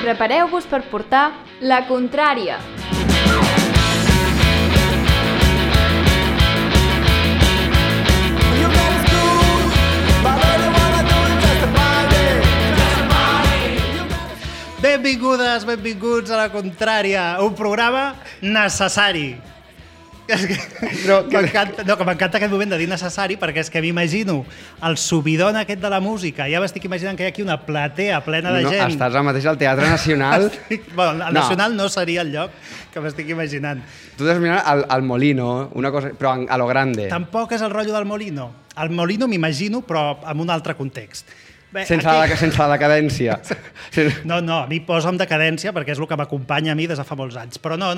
Prepareu-vos per portar la contrària. Benvingudes, benvinguts a La Contrària, un programa necessari. Que m'encanta aquest moment de dir necessari perquè és que m'imagino el subidon aquest de la música. Ja m'estic imaginant que hi ha aquí una platea plena de gent. Estàs ara mateix al Teatre Nacional. Bueno, el Nacional no seria el lloc que m'estic imaginant. Tu t'has mirat al Molino, una cosa, però a lo grande. Tampoc és el rotllo del Molino. El Molino m'imagino, però en un altre context. Bé, sense la decadència. No, a mi posa'm decadència perquè és el que m'acompanya a mi des de fa molts anys. Però no.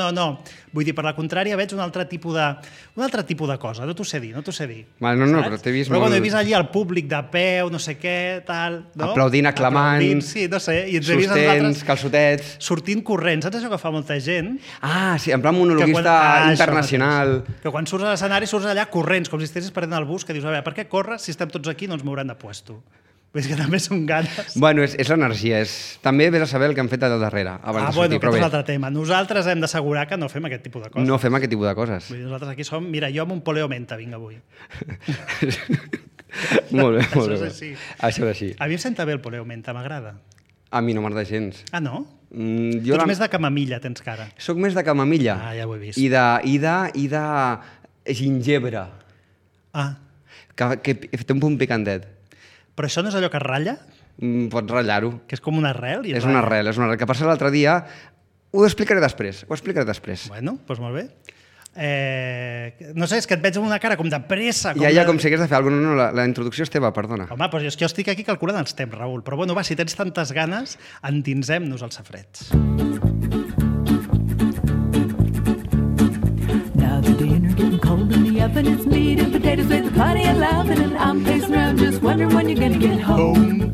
Vull dir, per la contrària veig un altre tipus de cosa. No t'ho sé dir. Vale, no, però t'he vist molt... Però bueno, he vist allí el públic de peu, no sé què, tal... No? Aplaudint, aclamant, sí, no sé. I sostens, calçotets... Sortint corrents. Saps això que fa molta gent? Ah, sí, en plan monologuista internacional. Que quan surts a l'escenari surts allà corrents, com si estiguessis perdent el bus, que dius, a veure, per què corres si estem tots aquí i no ens mouran de puesto? És que també són ganes. Bueno, és l'energia. També vés a saber el que han fet allà darrere. Bueno, aquest és l'altre tema. Nosaltres hem d'assegurar que no fem aquest tipus de coses. No fem aquest tipus de coses. Nosaltres aquí som... Mira, jo amb un poleo menta vinc avui. Molt bé. Això és així. Això és així. A mi em senta bé el poleo menta, m'agrada. A mi no m'agrada gens. Ah, no? Tu ets més de camamilla, tens cara. Soc més de camamilla. Ah, ja ho he vist. I de gingebre. Ah. Que té un punt picantet. Però això no és allò que es ratlla? Pots ratllar-ho. Que és com una arrel? És una arrel. Que passa l'altre dia... Ho explicaré després. Bueno, doncs molt bé. No sé, és que et veig amb una cara com de pressa. Ja, com si hagués de fer alguna cosa. No, la introducció és teva, perdona. Home, doncs és que jo estic aquí calculant els temps, Raül. Però bueno, va, si tens tantes ganes, endinsem-nos als safrets. And it's meat and potatoes with plenty of laughing and I'm pacing around just wondering when you're gonna get home.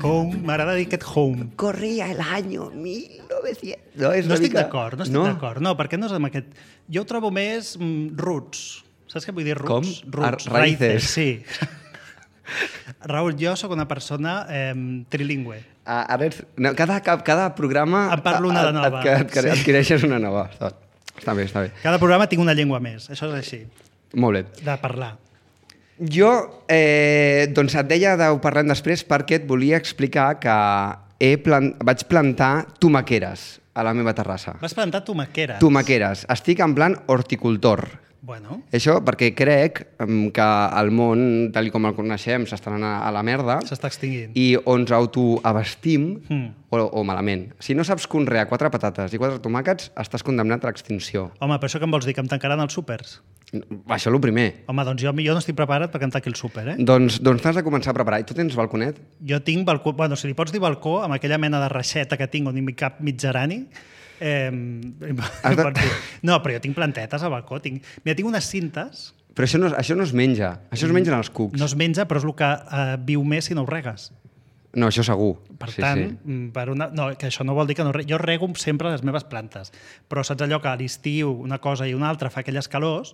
Home, m'agrada dir aquest home. Corria el año 1900. No estic d'acord. No, perquè no és amb aquest... Jo ho trobo més roots. Saps què vull dir roots? Com? Roots, raïces. Sí. Raül, jo sóc una persona trilingüe. Cada programa... Em parlo una de nova. Adquireixes una nova. Està bé. Cada programa tinc una llengua més, això és així. Molt bé. De parlar. Jo, doncs et deia de ho parlem després perquè et volia explicar que vaig plantar tomaqueres a la meva terrassa. Vas plantar tomaqueres? Tomaqueres. Estic en plan horticultor. Bueno. Això perquè crec que el món, tal com el coneixem, s'està anant a la merda. S'està extingint. I ens autoabastim o malament. Si no saps conrear 4 patates i 4 tomàquets, estàs condemnat a l'extinció. Home, però això què em vols dir? Que em tancaran els súpers? Això és el primer. Home, doncs jo no estic preparat perquè em tanqui el súper, Doncs t'has de començar a preparar. I tu tens balconet? Jo tinc balcó... Bueno, si li pots dir balcó, amb aquella mena de reixeta que tinc on hi cap mig gerani... No, però jo tinc plantetes al balcó. Mira, tinc unes cintes... Però això no es menja. Això es mengen els cucs. No es menja, però és el que viu més si no ho regues. No, això segur. Per tant, que això no vol dir que no... Jo rego sempre les meves plantes, però saps allò que a l'estiu una cosa i una altra fa aquelles calors,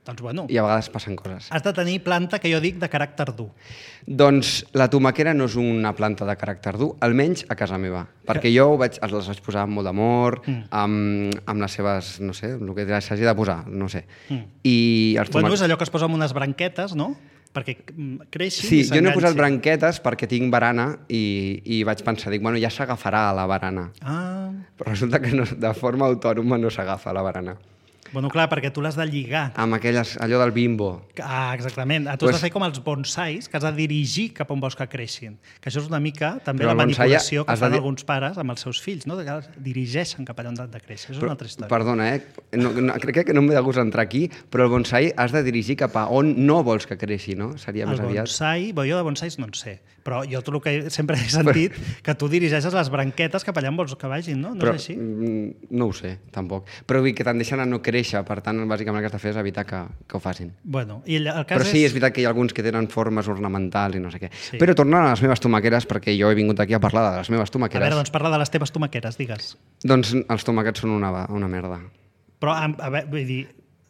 doncs bueno... I a vegades passen coses. Has de tenir planta, que jo dic, de caràcter dur. Doncs la tomaquera no és una planta de caràcter dur, almenys a casa meva. Perquè jo les vaig posar amb molt d'amor, amb les seves, no sé, el que s'hagi de posar, no sé. Bueno, és allò que es posa amb unes branquetes, no? Perquè creixin i s'enganxin. Sí, jo no he posat branquetes perquè tinc barana i vaig pensar, bueno, ja s'agafarà a la barana. Però resulta que de forma autònoma no s'agafa a la barana. Bueno, clar, perquè tu l'has de lligar. Amb allò del bimbo. Exactament. Tu has de fer com els bonsais, que has de dirigir cap on vols que creixin. Que això és una mica també la manipulació que fan alguns pares amb els seus fills, no? Que dirigeixen cap allà on han de créixer. Això és una altra història. Perdona, crec que no m'he de gust entrar aquí, però el bonsai has de dirigir cap a on no vols que creixi, no? Seria més aviat. El bonsai, jo de bonsais no en sé, però jo tot el que sempre he sentit que tu dirigeixes les branquetes cap allà on vols que vagin, no? No és així? No ho sé, tampoc. Però vull que tendeixen a no créixer, per tant, bàsicament el que has de fer és evitar que ho facin. Bueno, i el cas però sí, és veritat que hi ha alguns que tenen formes ornamentals i no sé què. Sí. Però tornant a les meves tomaqueres, perquè jo he vingut aquí a parlar de les meves tomaqueres. A veure, doncs parla de les teves tomaqueres, digues. Doncs els tomàquets són una merda. Però, a veure, vull dir,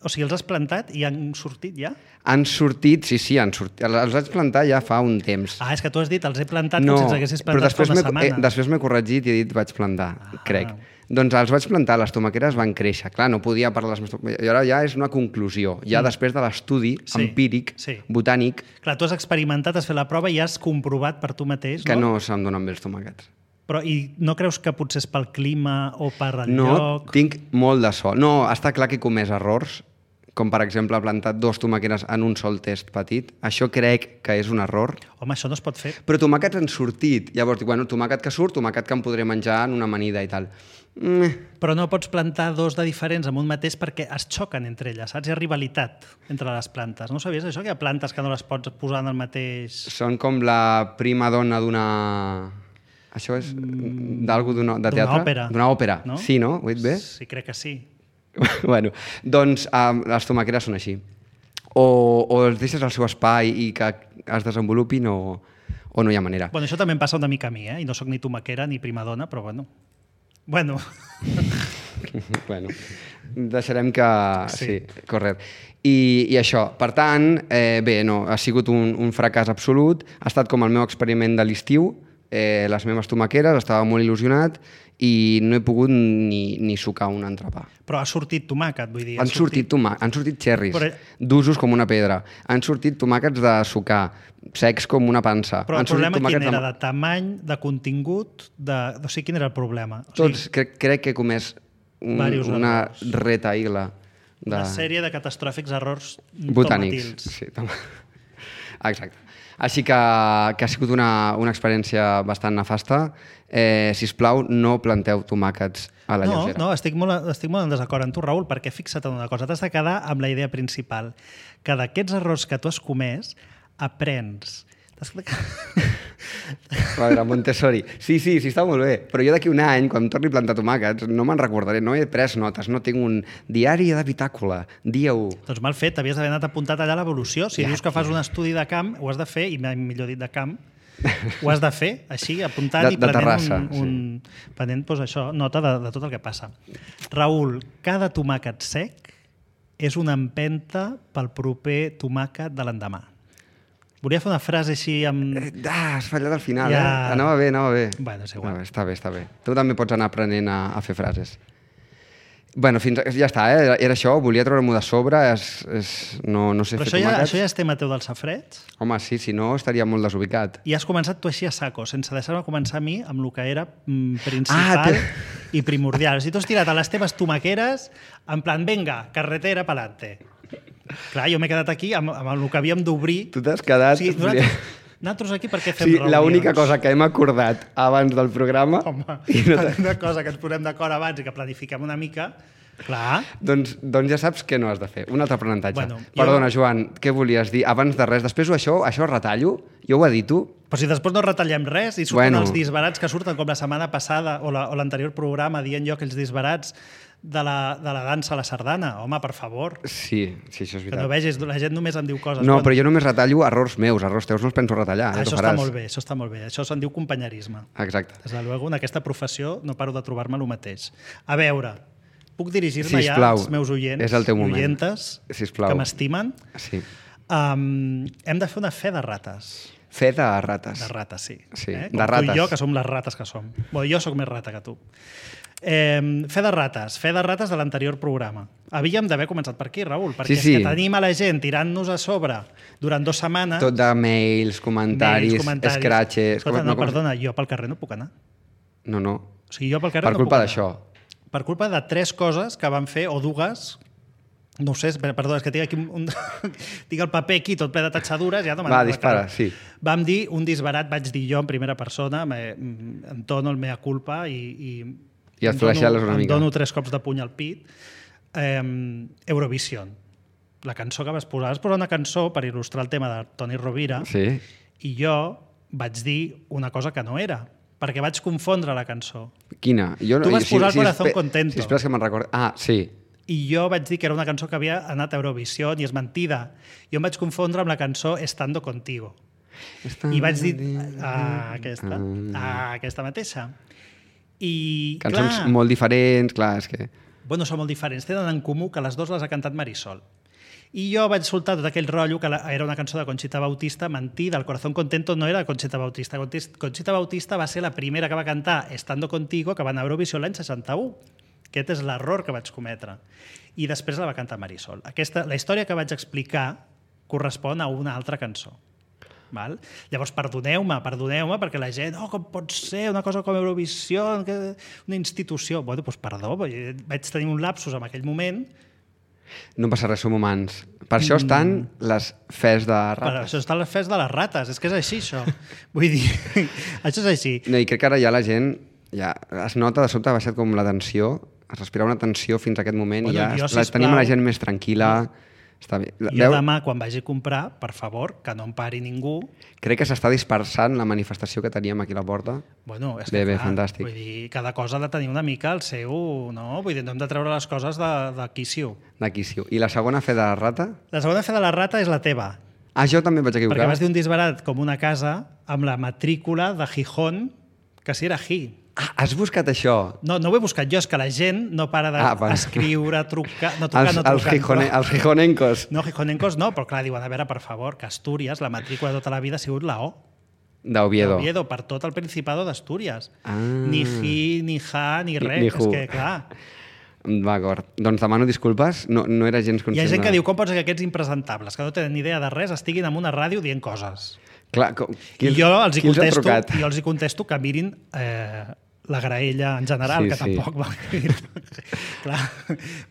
O sigui, els has plantat i han sortit ja? Han sortit, sí, han sortit. Els vaig plantar ja fa un temps. És que tu has dit, els he plantat com si els haguessis plantat fa una setmana. Després m'he corregit i he dit vaig plantar, crec. Doncs els vaig plantar, les tomaqueres van créixer. Clar, no podia parlar de les meves tomaqueres. I ara ja és una conclusió. Ja després de l'estudi empíric, botànic... Clar, tu has experimentat, has fet la prova i has comprovat per tu mateix, no? Que no se'm donen bé els tomàquets. Però i no creus que potser és pel clima o per el lloc? No, tinc molt de sol. No, està clar que he comès errors, com per exemple plantat 2 tomaqueres en un sol test petit. Això crec que és un error. Home, això no es pot fer. Però tomàquets han sortit. Llavors dic, bueno, tomàquet que surt, tomàquet que em podré menjar en una amanida i tal. Però no pots plantar 2 de diferents en un mateix perquè es xoquen entre elles, saps? Hi ha rivalitat entre les plantes. No sabies això, que hi ha plantes que no les pots posar en el mateix... Són com la prima dona d'una... Això és d'algú de teatre? D'una òpera. D'una òpera, no? Sí, no? Ho he dit bé? Sí, crec que sí. Bueno, doncs les tomaqueres són així. O els deixes al seu espai i que es desenvolupin o no hi ha manera. Bueno, això també em passa una mica a mi, I no sóc ni tomaquera ni primadona, però bueno. Bueno, deixarem que... Sí, correcte. I això, per tant, bé, no, ha sigut un fracàs absolut. Ha estat com el meu experiment de l'estiu, les meves tomaqueres, estava molt il·lusionat i no he pogut ni sucar un entrepà. Però ha sortit tomàquet, vull dir... Han sortit xerris, d'usos com una pedra. Han sortit tomàquets de sucar, secs com una pansa. Però el problema quin era? De tamany, de contingut, o sigui, quin era el problema? Tots, crec que he comès una retaïla. Una sèrie de catastròfics errors botànics. Sí, exacte. Així que ha sigut una experiència bastant nefasta. Sisplau, no planteu tomàquets a la lleugera. No, estic molt en desacord amb tu, Raül, perquè fixa't en una cosa, t'has de quedar amb la idea principal, que d'aquests errors que tu has comès, aprens. A veure, Montessori. Sí, està molt bé. Però jo d'aquí un any, quan em torni a plantar tomàquets, no me'n recordaré, no he pres notes, no tinc un diari de bitàcola, dia 1. Doncs mal fet, havies d'haver anat apuntat allà a l'evolució. Si dius que fas un estudi de camp, ho has de fer, i millor dit de camp, ho has de fer, així, apuntant i prenent això, nota de tot el que passa. Raül, cada tomàquet sec és una empenta pel proper tomàquet de l'endemà. Volia fer una frase així amb... Has fallat al final, Anava bé. Bueno, és igual. Està bé. Tu també pots anar aprenent a fer frases. Bueno, ja està, era això, volia treure-m'ho de sobre, no sé fer tomàquets. Això ja és tema teu del safreig? Home, sí, si no estaria molt desubicat. I has començat tu així a saco, sense deixar-me començar a mi amb el que era principal i primordial. O sigui, tu has tirat a les teves tomaqueres en plan, venga, carretera pa'lante. Clar, jo m'he quedat aquí amb el que havíem d'obrir. Tu t'has quedat... Sí, nosaltres aquí perquè fem reunions. L'única cosa que hem acordat abans del programa... Home, una cosa que ens posem d'acord abans i que planifiquem una mica, clar... Doncs ja saps què no has de fer. Un altre aprenentatge. Perdona, Joan, què volies dir? Abans de res, després això retallo? Jo ho edito? Però si després no retallem res i surten els disbarats que surten com la setmana passada o l'anterior programa dient jo aquells disbarats de la dansa a la sardana. Home, per favor. Sí, això és veritat. Que no vegis, la gent només em diu coses. No, però jo només retallo errors meus, errors teus no els penso retallar. Això està molt bé. Això se'n diu companyerisme. Exacte. Des de luego, en aquesta professió no paro de trobar-me el mateix. A veure, puc dirigir-me ja als meus oients i oientes que m'estimen? Sí. Hem de fer una fe de rates. Fe de rates. De rates, sí. De rates. Tu i jo, que som les rates que som. Jo sóc més rata que tu. Fe de rates de l'anterior programa. Havíem d'haver començat per aquí, Raül, perquè és que tenim a la gent tirant-nos a sobre durant 2 setmanes... Tot de mails, comentaris, scratches... Perdona, jo pel carrer no puc anar. No. O sigui, jo pel carrer no puc anar. Per culpa d'això. Per culpa de 3 coses que van fer, o 2... No ho sé, perdó, és que tinc aquí tinc el paper aquí tot ple de tatxadures. Va, dispara, sí. Vam dir un disbarat, vaig dir jo en primera persona, em dono el mea culpa i et flaixales una mica. Em dono 3 cops de puny al pit. Eurovision. La cançó que vas posar una cançó per il·lustrar el tema de Toni Rovira i jo vaig dir una cosa que no era, perquè vaig confondre la cançó. Quina? Tu vas posar el Corazón Contento. Sisplau, que me'n recordo. Sí. I jo vaig dir que era una cançó que havia anat a Eurovisió i és mentida. Jo em vaig confondre amb la cançó Estando Contigo. I vaig dir aquesta mateixa. I, cançons molt diferents, clar, és que... Bueno, són molt diferents. Tenen en comú que les dues les ha cantat Marisol. I jo vaig soltar tot aquell rotllo que era una cançó de Conchita Bautista, mentir, del Corazón Contento no era de Conchita Bautista. Conchita Bautista va ser la primera que va cantar Estando Contigo, que va anar a Eurovisió l'any 61. Aquest és l'error que vaig cometre. I després la va cantar Marisol. La història que vaig explicar correspon a una altra cançó. Val? Llavors, perdoneu-me, perquè la gent, com pot ser una cosa com Eurovisió, una institució... Bueno, doncs perdó, vaig tenir un lapsus en aquell moment. No passa res, som humans. Per això estan les fes de rates. Per això estan les fes de les rates, és que és així, això. Vull dir, això és així. No, i crec que ara ja la gent es nota, de sobte ha baixat com la tensió, es respira una tensió fins a aquest moment i ja tenim la gent més tranquil·la. Està bé. Jo demà, quan vagi a comprar, per favor, que no em pari ningú. Crec que s'està dispersant la manifestació que teníem aquí a la porta. Bueno, és que bé, fantàstic. Vull dir, cada cosa ha de tenir una mica el seu... No? Vull dir, no hem de treure les coses de quicio. De quicio. I la segona fe de la rata? La segona fe de la rata és la teva. Jo també vaig equivocar. Perquè vas dir un disbarat com una casa amb la matrícula de Gijón, que si era Gi. Has buscat això? No ho he buscat jo, és que la gent no para d'escriure, trucar... Els gijonencos. No, gijonencos no, però clar, diuen, a veure, per favor, que Astúries, la matrícula de tota la vida ha sigut la O. D'Oviedo. D'Oviedo, per tot el Principado d'Astúries. Ni Gi, ni Ja, ni res. Ni és que, clar... D'acord. Doncs demano disculpes, no era gens conscient. Hi ha gent que diu, com pots ser que aquests impresentables, que no tenen ni idea de res, estiguin en una ràdio dient coses. Clar, I jo els hi contesto que mirin la graella en general, que tampoc va... Clar,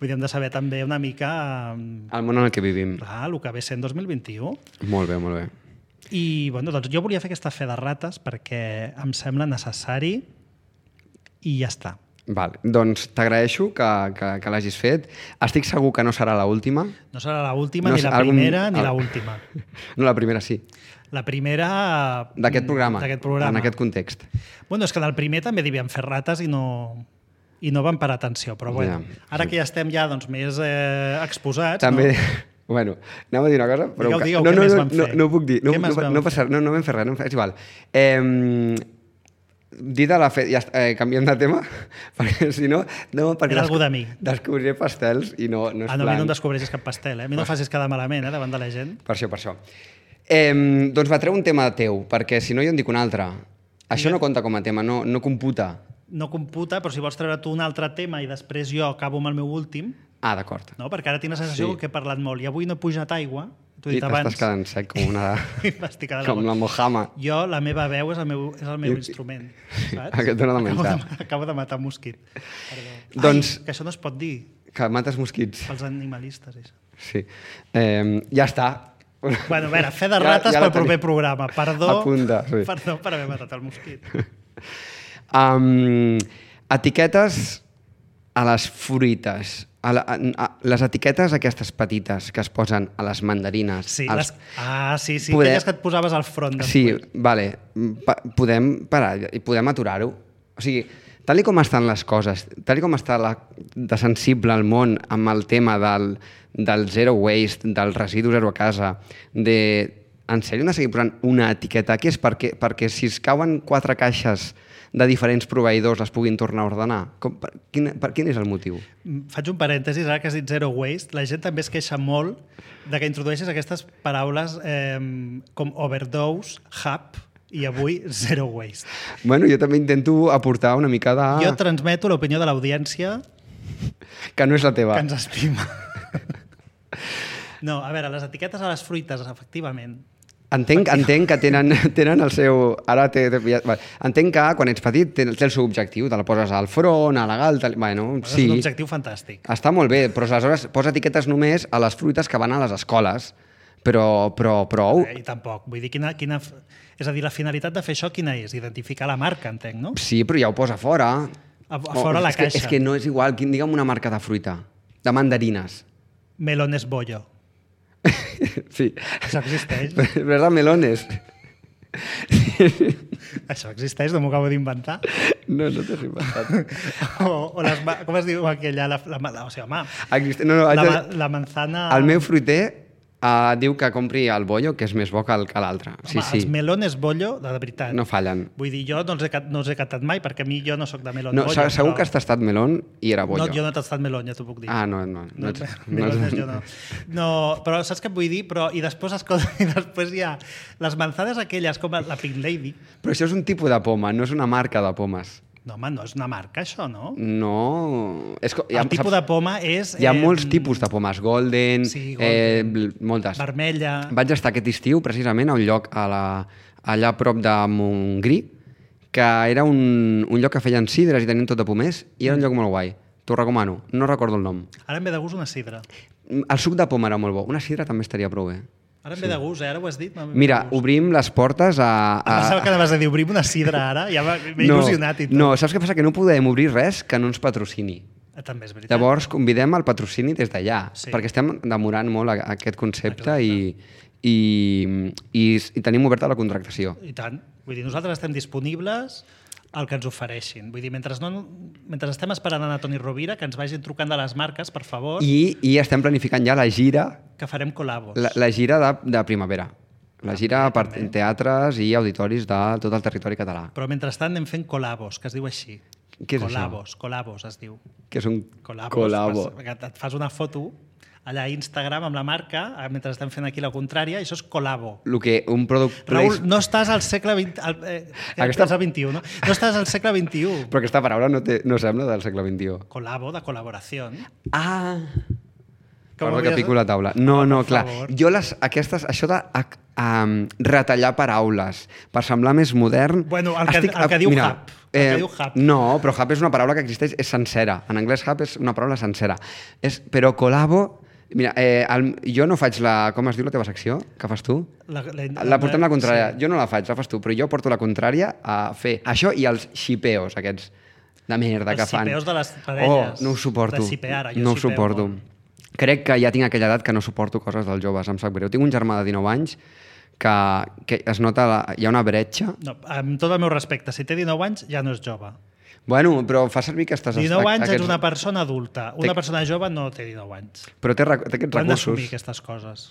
vull dir, hem de saber també una mica... El món en el que vivim. Clar, el que ve sent 2021. Molt bé, molt bé. I, bueno, doncs jo volia fer aquesta fe de rates perquè em sembla necessari i ja està. Val. Doncs t'agraeixo que l'hagis fet. Estic segur que no serà l'última. No serà l'última, ni la primera, ni l'última. No, la primera sí. La primera... D'aquest programa, en aquest context. Bueno, és que en el primer també devien fer rates i no van parar atenció, però bueno, ara que ja estem doncs, més exposats... També... Bueno, anem a dir una cosa... Però digueu, què més van fer? No ho puc dir. No vam fer res, és igual. Dit a la fe... Ja canviem de tema, perquè si no... Era algú de mi. Descobriré pastels i no és plan. A mi no em descobreixis cap pastel, A mi no facis quedar malament, davant de la gent. Per això. Doncs va treure un tema teu, perquè si no jo en dic un altre. Això no compta com a tema, no computa. No computa, però si vols treure tu un altre tema i després jo acabo amb el meu últim... D'acord. No? Perquè ara tinc la sensació que he parlat molt i avui no he pujat aigua, t'ho he dit abans. I t'estàs quedant sec com una... com la Mojama. Jo, la meva veu és el meu instrument, saps? Aquest dona de menjar. Acabo de matar un mosquit. Doncs... que això no es pot dir. Que mates mosquits. Pels animalistes, això. Sí. Ja està. Bueno, a veure, fe de rates pel proper programa. Perdó per haver matat el mosquit. Etiquetes a les fruites. Les etiquetes aquestes petites que es posen a les mandarines. Sí, aquelles que et posaves al front. Sí, vale. Podem parar i podem aturar-ho. O sigui, tal com estan les coses, tal com està de sensible el món amb el tema del zero waste, del residu zero a casa, en sèrio hem de seguir posant una etiqueta aquí? És perquè si es cauen 4 caixes de diferents proveïdors les puguin tornar a ordenar? Quin és el motiu? Faig un parèntesis, ara que has dit zero waste, la gent també es queixa molt de que introdueixes aquestes paraules com overdose, hub, i avui zero waste. Bueno, jo també intento aportar una mica de... Jo transmeto l'opinió de l'audiència... Que no és la teva. Que ens estima. No, a veure, les etiquetes a les fruites, efectivament. Entenc que tenen el seu... Entenc que quan ets petit té el seu objectiu, te la poses al front, a la galta... Bueno, sí. És un objectiu fantàstic. Està molt bé, però aleshores posa etiquetes només a les fruites que van a les escoles. Però... I tampoc. Vull dir, és a dir, la finalitat de fer això quina és? Identificar la marca, entenc, no? Sí, però ja ho posa fora. A fora la caixa. És que no és igual. Digue'm una marca de fruita. De mandarines. Melones Bollo. Sí. Això existeix. Però és de melones. Això existeix, no m'ho acabo d'inventar. No t'has inventat. Com es diu aquella? O sigui, home, no, la manzana... El meu fruiter Diu que compri el bollo, que és més bo que l'altre. Sí, Home, els melones bollo, de veritat. No fallen. Vull dir, jo no els he catat mai, perquè a mi jo no sóc de melón No, bollo. segur que has tastat melón i era bollo. No, jo no he tastat melón, ja t'ho puc dir. No. Melones jo no. No, però saps què et vull dir? I després hi ha les manzades aquelles, com la Pink Lady. Però això és un tipus de poma, no és una marca de pomes. No, home, no és una marca, això, no? No... El tipus de poma és... Hi ha molts tipus de pomes, golden, moltes. Vermella... Vaig estar aquest estiu, precisament, a un lloc allà a prop de Montgrí, que era un lloc que feien sidres i tenien tot de pomers, i era un lloc molt guai. T'ho recomano, no recordo el nom. Ara em ve de gust una sidra. El suc de poma era molt bo, una sidra també estaria prou bé. Ara em ve de gust, ara ho has dit. Mira, obrim les portes a... Pensava que anaves a dir, obrim una sidra ara, ja m'he il·lusionat i tot. No, saps què passa? Que no podem obrir res que no ens patrocini. També és veritat. Llavors, convidem al patrocini des d'allà, perquè estem demorant molt aquest concepte i tenim oberta la contractació. I tant. Vull dir, nosaltres estem disponibles al que ens ofereixin. Vull dir, mentre estem esperant a Toni Rovira, que ens vagin trucant de les marques, per favor. I estem planificant ja la gira... Que farem col·labos. La gira de primavera. La gira per teatres i auditoris de tot el territori català. Però mentrestant anem fent col·labos, que es diu així. Què és Col·labos es diu. Què és un col·labo? Et fas una foto allà a Instagram amb la marca, mentre estem fent aquí la contrària, i això és col·labo. Un product... Raül, no estàs al segle XX... al XXI, no? No estàs al segle XXI. Però aquesta paraula no sembla del segle XXI. Col·labo, de col·laboració. Perdó que pico la taula. No, clar. Jo això de retallar paraules per semblar més modern... Bueno, el que diu hub. No, però hub és una paraula que existeix, és sencera. En anglès hub és una paraula sencera. Però col·labo... Mira, jo no faig com es diu la teva secció? Que fas tu? La portem la contrària. Jo no la faig, la fas tu, però jo porto la contrària a fer això i els xipeos aquests de merda que fan. Els xipeos de les parelles. No ho suporto. De xipear, no ho suporto. Crec que ja tinc aquella edat que no suporto coses dels joves, em sap greu. Tinc un germà de 19 anys que es nota, hi ha una bretxa. No, amb tot el meu respecte, si té 19 anys ja no és jove. Bueno, però fa servir que estàs... 19 anys ets una persona adulta. Una persona jove no té 19 anys. Però té aquests recursos. Han d'assumir aquestes coses.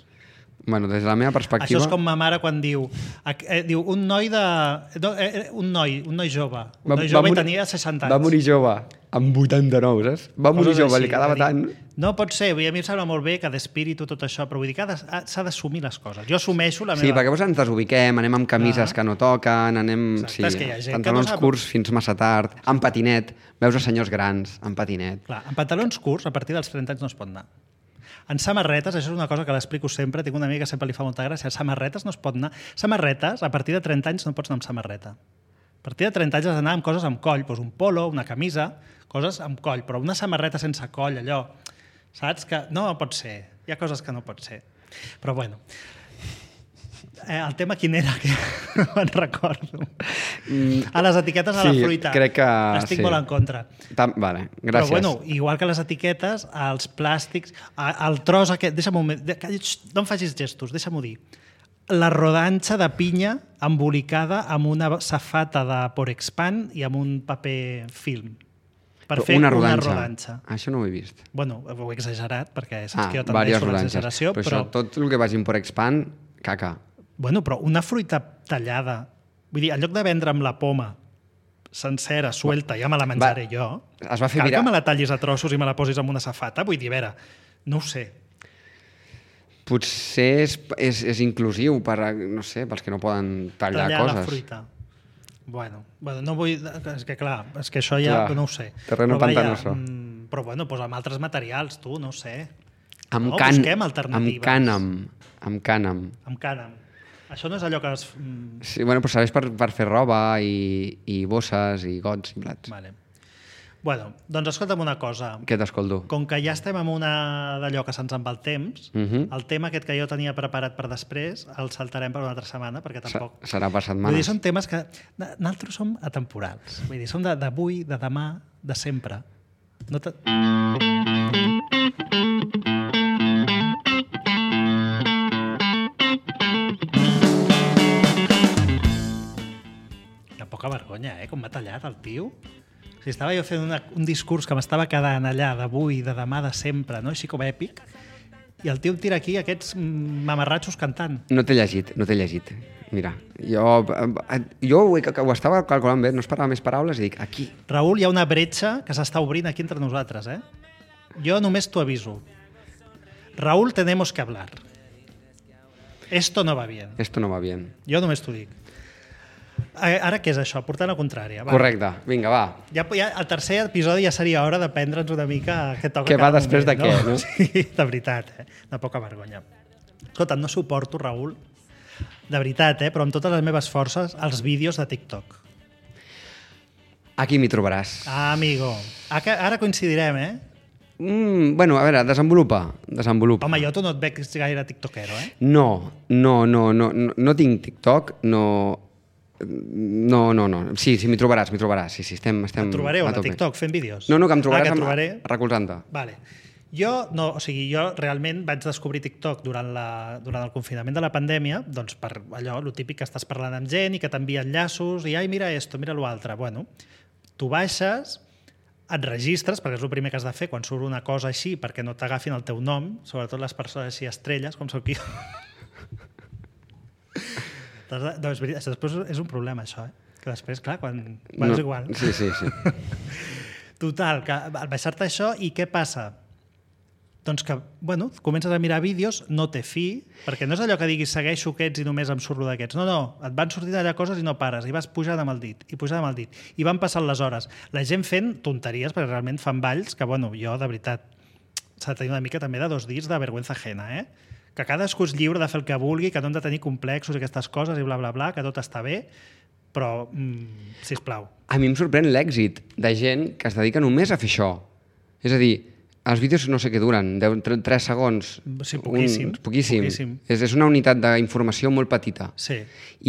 Bueno, des de la meva perspectiva... Això és com ma mare quan diu un noi jove. Un noi jove i tenia 60 anys. Va morir jove, amb 89, saps? Va morir jove, li quedava tant... No pot ser, a mi em sembla molt bé que d'espíritu tot això, però vull dir que s'ha d'assumir les coses. Jo assumeixo la meva... Sí, perquè llavors ens desubiquem, anem amb camises que no toquen, anem... Exacte, és que hi ha gent pantalons curts fins massa tard, amb patinet, veus a senyors grans, amb patinet. Clar, amb pantalons curts, a partir dels 30 anys no es pot anar. En samarretes, això és una cosa que l'explico sempre, tinc una amiga que sempre li fa molta gràcia, a samarretes no es pot anar. Samarretes, a partir de 30 anys no pots anar amb samarreta. A partir de 30 anys has d'anar amb coses amb coll, doncs un polo, una camisa, coses amb coll, però una samarreta sense coll, allò, saps? Que no pot ser, hi ha coses que no pot ser. Però bueno, el tema quin era, que no me'n recordo. A les etiquetes a la fruita. Crec que... Estic molt en contra. Vale, gràcies. Però bueno, igual que les etiquetes, els plàstics, el tros aquest... Deixa'm un moment, no em facis gestos, deixa'm-ho dir. La rodanxa de pinya embolicada amb una safata de Porexpan i amb un paper film. Per fer una rodanxa. Això no ho he vist. Bueno, ho he exagerat, perquè saps que jo tendeixo a l'exageració. Però tot el que vagi en Porexpan, caca. Bueno, però una fruita tallada... Vull dir, en lloc de vendre amb la poma sencera, suelta, ja me la menjaré jo. Es va fer cal que me la tallis a trossos i me la posis amb una safata? Vull dir, a veure, no ho sé. Potser és inclusiu per, no sé, pels que no poden tallar coses. Tallar la fruita. Bueno, no vull... És que clar, és que això ja no ho sé. Terreno pantanoso. Però bueno, doncs amb altres materials, tu, no ho sé. Busquem alternatives. Amb cànem. Amb cànem. Això no és allò que... Sí, bueno, però serveix per fer roba i bosses i gots i plats. Vale. Bueno, doncs escolta'm una cosa. Què t'escolto? Com que ja estem en una d'allò que se'ns en va el temps, el tema aquest que jo tenia preparat per després el saltarem per una altra setmana, perquè tampoc... Serà per setmanes. Vull dir, són temes que... Nosaltres som atemporals. Vull dir, som d'avui, de demà, de sempre. No te... Poca vergonya, com m'ha tallat el tio. O sigui, estava jo fent un discurs que m'estava quedant allà d'avui, de demà, de sempre, no? Així com èpic, I el tio tira aquí aquests mamarratxos cantant. No t'he llegit. Mira, jo ho estava calculant bé, no esperava més paraules i dic, aquí. Raül, hi ha una bretxa que s'està obrint aquí entre nosaltres, eh? Jo només t'ho aviso. Raül, tenemos que hablar. Esto no va bien. Jo només t'ho dic. Ara què és això? Portar la contrària. Va. Correcte, vinga, va. Ja, el tercer episodi ja seria hora de prendre'ns una mica què toca Què va cada després moment, de què, no? Sí, de veritat, de poca vergonya. Escolta, no suporto, Raül, de veritat, però amb totes les meves forces, els vídeos de TikTok. Aquí m'hi trobaràs. Ah, amigo. Ara coincidirem, eh? Bueno, a veure, desenvolupa. Home, jo tu no et veig gaire tiktokero, eh? No tinc TikTok, no. Sí, m'hi trobaràs. Sí, estem Et trobaré a a tope. TikTok fent vídeos? No, que em trobaràs recolzant-te. Vale. Jo realment vaig descobrir TikTok durant el confinament de la pandèmia, doncs per allò, lo típic que estàs parlant amb gent i que t'envia enllaços i ai, mira esto, mira lo altre. Bueno, tu baixes, et registres, perquè és el primer que has de fer quan surt una cosa així, perquè no t'agafin el teu nom, sobretot les persones així estrelles, com sóc jo. Doncs després és un problema, això, que després, clar, quan és igual. Sí. Total, que al baixar-te això, i què passa? Doncs que, bueno, comences a mirar vídeos, no té fi, perquè no és allò que diguis segueixo aquests i només em surto d'aquests. No, et van sortint allà coses i no pares, i vas pujant amb el dit, i van passant les hores. La gent fent tonteries, perquè realment fan balls, que, bueno, jo, de veritat, s'ha de tenir una mica també de 2 dits de vergüenza ajena, que cadascú és lliure de fer el que vulgui, que no hem de tenir complexos i aquestes coses i bla, bla, bla, que tot està bé, però, sisplau. A mi em sorprèn l'èxit de gent que es dedica només a fer això. És a dir, els vídeos no sé què duren, 3 segons. Sí, poquíssim. És una unitat d'informació molt petita. Sí.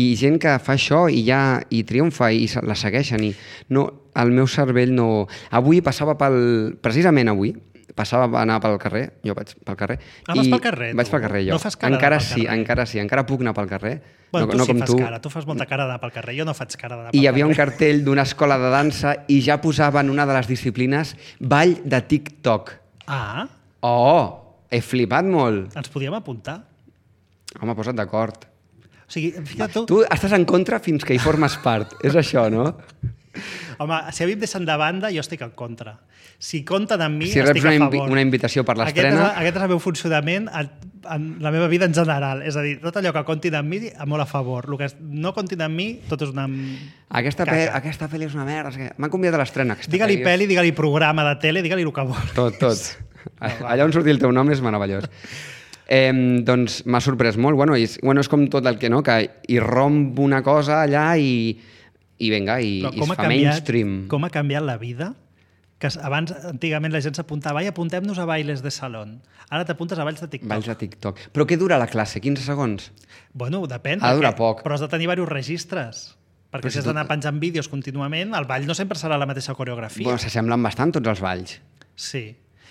I gent que fa això i triomfa i la segueixen. I no, el meu cervell no... Precisament avui, passava a anar pel carrer, jo vaig pel carrer. Vas pel carrer, tu? Vaig pel carrer, jo. No fas cara d'anar pel carrer? Encara puc anar pel carrer. Bueno, no tu sí com fas cara, tu fas molta cara d'anar pel carrer, jo no faig cara d'anar pel carrer. I hi havia un cartell d'una escola de dansa i ja posaven una de les disciplines ball de TikTok. Ah. Oh, he flipat molt. Ens podíem apuntar? Home, posa't d'acord. O sigui, fica't tu... Tu estàs en contra fins que hi formes part. És això, no? Home, si a mi em deixen de banda, jo estic en contra. Si compten amb mi, si estic a favor. Si reps una invitació per l'estrena... Aquest és el meu funcionament en la meva vida en general. És a dir, tot allò que comptin amb mi, molt a favor. El que no comptin amb mi, tot és una Aquesta pel·li és una merda. M'han convidat a l'estrena. Digue-li pel·li, digue-li programa de tele, digue-li el que vol. Tot. Allà on surti el teu nom és meravellós. Doncs m'ha sorprès molt. Bueno, és com tot el que no, que hi romp una cosa allà i vinga, i es fa mainstream. Com ha canviat la vida? Que abans, antigament, la gent s'apuntava i apuntem-nos a bailes de salón. Ara t'apuntes a balls de TikTok. Balls de TikTok. Però què dura la classe? 15 segons? Bueno, depèn. Ha de durar poc. Però has de tenir diversos registres. Perquè si has d'anar penjant vídeos contínuament, el ball no sempre serà la mateixa coreografia. Bueno, s'assemblen bastant tots els balls. Sí.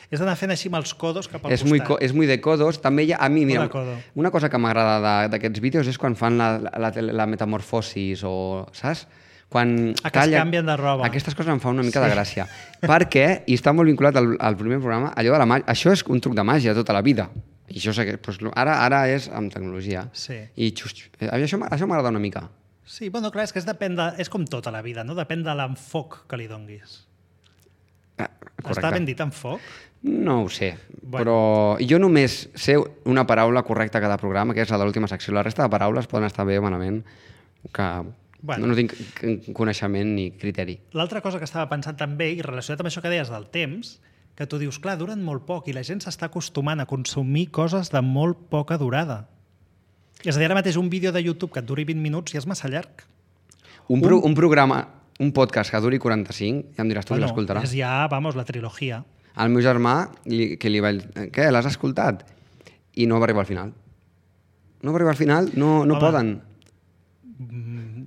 Has d'anar fent així amb els codos cap al costat. És muy de codos. També hi ha, a mi, mira, una cosa que m'agrada d'aquests vídeos és quan fan la metamorfosis o, saps? Quan que es canvien de roba. Aquestes coses em fan una mica de gràcia. Perquè, i està molt vinculat al primer programa, allò de la màgia, això és un truc de màgia tota la vida. I això sé que ara és amb tecnologia. Sí. I això m'agrada una mica. Sí, bueno, clar, és que és com tota la vida, no? Depèn de l'enfoc que li donguis. Està ben dit enfoc? No ho sé, però jo només sé una paraula correcta a cada programa, que és la de l'última secció. La resta de paraules poden estar bé o malament, que... no tinc coneixement ni criteri. L'altra cosa que estava pensant també, i relacionat amb això que deies del temps, que tu dius, clar, duren molt poc i la gent s'està acostumant a consumir coses de molt poca durada. És a dir, ara mateix un vídeo de YouTube que et duri 20 minuts ja és massa llarg. Un programa, un podcast que duri 45, ja em diràs tu qui l'escoltarà. És ja, la trilogia. Al meu germà, que li vaig... Què, l'has escoltat? I no va arribar al final. No va arribar al final, no poden.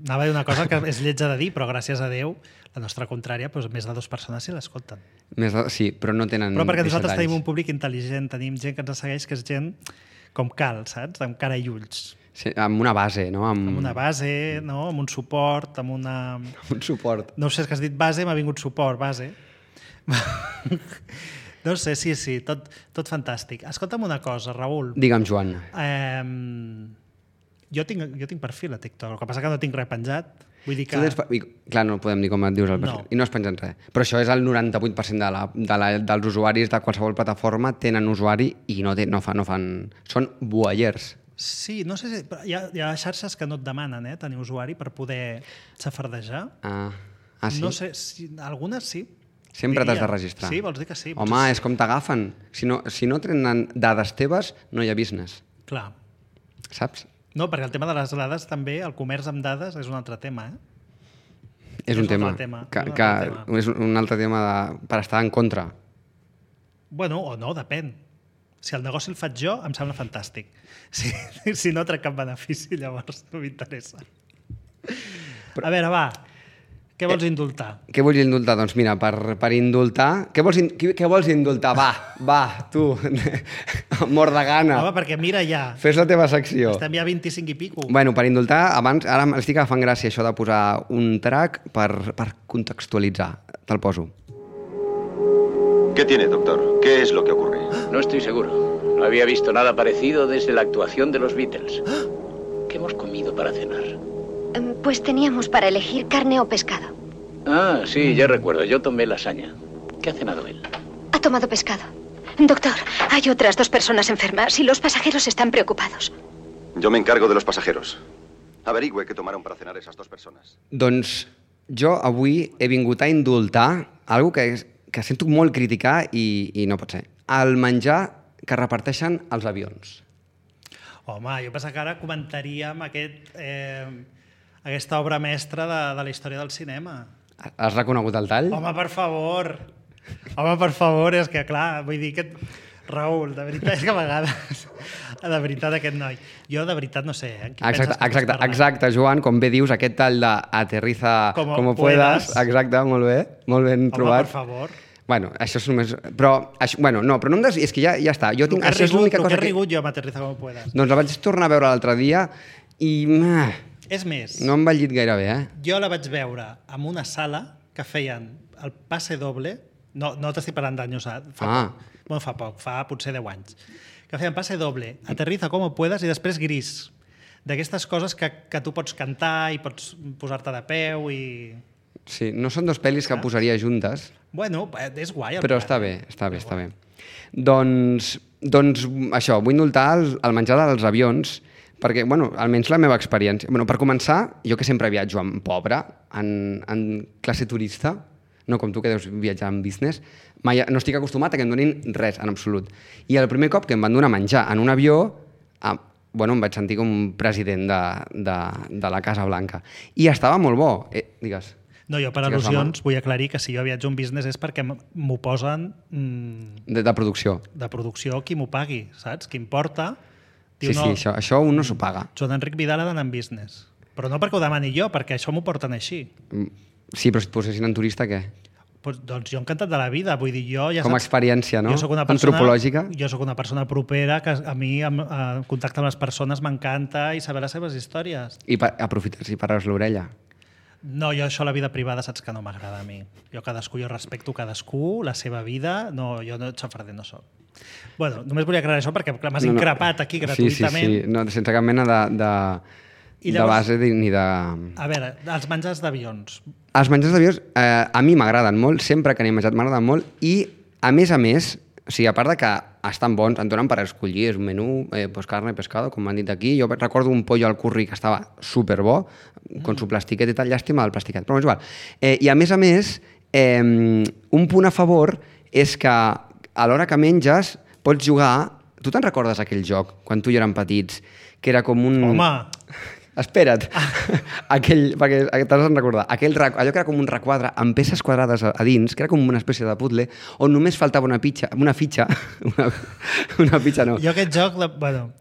Anava a dir una cosa que és lletja de dir, però gràcies a Déu, la nostra contrària, més de 2 persones sí l'escolten. Sí, però no tenen... Però perquè nosaltres tenim un públic intel·ligent, tenim gent que ens segueix, que és gent com cal, saps? Amb cara i ulls. Sí, amb una base, no? Amb una base, no? Amb un suport, amb una... Un suport. No sé, és que has dit base, m'ha vingut suport, base. No sé, sí, tot fantàstic. Escolta'm una cosa, Raül. Digue'm, Joan. Jo tinc perfil a TikTok, el que passa que no tinc res penjat. Vull dir que... Clar, no podem dir com et dius el perfil. No. I no es pengen res. Però això és el 98% dels usuaris de qualsevol plataforma tenen usuari i no fan... Són voyeurs. Sí, no sé si... Hi ha xarxes que no et demanen tenir usuari per poder xafardejar. Sí? No sé, algunes sí. Sempre t'has de registrar. Sí, vols dir que sí? Home, és com t'agafen. Si no tenen dades teves, no hi ha business. Clar. Saps? No, perquè el tema de les dades també, el comerç amb dades és un altre tema, És un tema. És un altre tema per estar en contra. Bueno, o no, depèn. Si el negoci el faig jo, em sembla fantàstic. Si no trec cap benefici, llavors no m'interessa. A veure, va, què vols indultar? Què vols indultar? Doncs mira, per indultar... Què vols indultar? Va, tu, mort de gana. Home, perquè mira ja. Fes la teva secció. Estem ja 25 i pico. Bueno, per indultar, ara m'estic agafant gràcia això de posar un track per contextualitzar. Te'l poso. ¿Qué tiene, doctor? ¿Qué es lo que ocurre? No estoy seguro. No había visto nada parecido desde la actuación de los Beatles. ¿Qué hemos comido para cenar? Pues teníamos para elegir carne o pescado. Ah, sí, ya recuerdo. Yo tomé lasaña. ¿Qué ha cenado él? Ha tomado pescado. Doctor, hay otras 2 personas enfermas y los pasajeros están preocupados. Yo me encargo de los pasajeros. Averigüe qué tomaron para cenar esas 2 personas. Doncs jo avui he vingut a indultar algo que sento molt criticar i no pot ser. El menjar que reparteixen als avions. Home, jo penso que ara comentaríem aquesta obra mestra de la història del cinema. Has reconegut el tall? Home, per favor, és que clar, vull dir que... Raül, de veritat, és que a vegades... De veritat, aquest noi. Jo, de veritat, no sé, Exacte, Joan, com bé dius, aquest tall d'Aterriza como puedas. Exacte, molt ben trobat. Home, per favor. Bueno, això és només... Però no em des... És que ja està. Jo tinc... Això és l'única cosa que... he rigut jo amb Aterriza como puedas. Doncs la vaig tornar a veure l'altre dia i... És més... No em va llit gaire bé, Jo la vaig veure en una sala que feien el passe doble, no t'estic parlant d'anys, fa poc, fa potser 10 anys, que feien passe doble, Aterriza como puedas i després Gris. D'aquestes coses que tu pots cantar i pots posar-te de peu i... Sí, no són 2 pel·lis que posaria juntes. Bueno, és guai. Però està bé. Doncs això, vull indultar el menjar dels avions, perquè, almenys la meva experiència... Per començar, jo que sempre viatjo en pobre, en classe turista, no com tu que deus viatjar en business, mai no estic acostumat a que em donin res, en absolut. I el primer cop que em van donar menjar en un avió, em vaig sentir com un president de la Casa Blanca. I estava molt bo. Digues. No, jo per al·lusions vull aclarir que si jo viatjo en business és perquè m'ho posen... De producció. De producció, qui m'ho pagui, saps? Qui em porta... Sí, això un no s'ho paga. Joan Enric Vidal ha d'anar en business. Però no perquè ho demani jo, perquè això m'ho porten així. Sí, però si et posessin en turista, què? Doncs jo encantat de la vida, vull dir, jo ja saps... Com a experiència, no? Antropològica. Jo sóc una persona propera, que a mi en contacte amb les persones m'encanta i saber les seves històries. I aprofites i pares l'orella. No, jo això, la vida privada, saps que no m'agrada a mi. Jo respecto cadascú, la seva vida, jo no xafarder no soc. Bueno, només volia aclarar això perquè m'has increpat aquí gratuïtament. Sí, no, sense cap mena de base ni de... A veure, els menjars d'avions. Els menjars d'avions a mi m'agraden molt, sempre que n'he menjat m'agraden molt i, a més, o sigui, a part de que estan bons, en donen per escollir, és un menú, carne, pescado, com m'han dit aquí. Jo recordo un pollo al curri que estava superbo, con su plastiquet i tal, llàstima del plastiquet, però és igual. I a més, un punt a favor és que a l'hora que menges pots jugar... Tu te'n recordes aquell joc, quan tu i érem petits, que era com un... Home! Espera't, perquè t'has de recordar, allò que era com un requadre amb peces quadrades a dins, que era com una espècie de puzzle, on només faltava una fitxa, no. Jo aquest joc, bueno...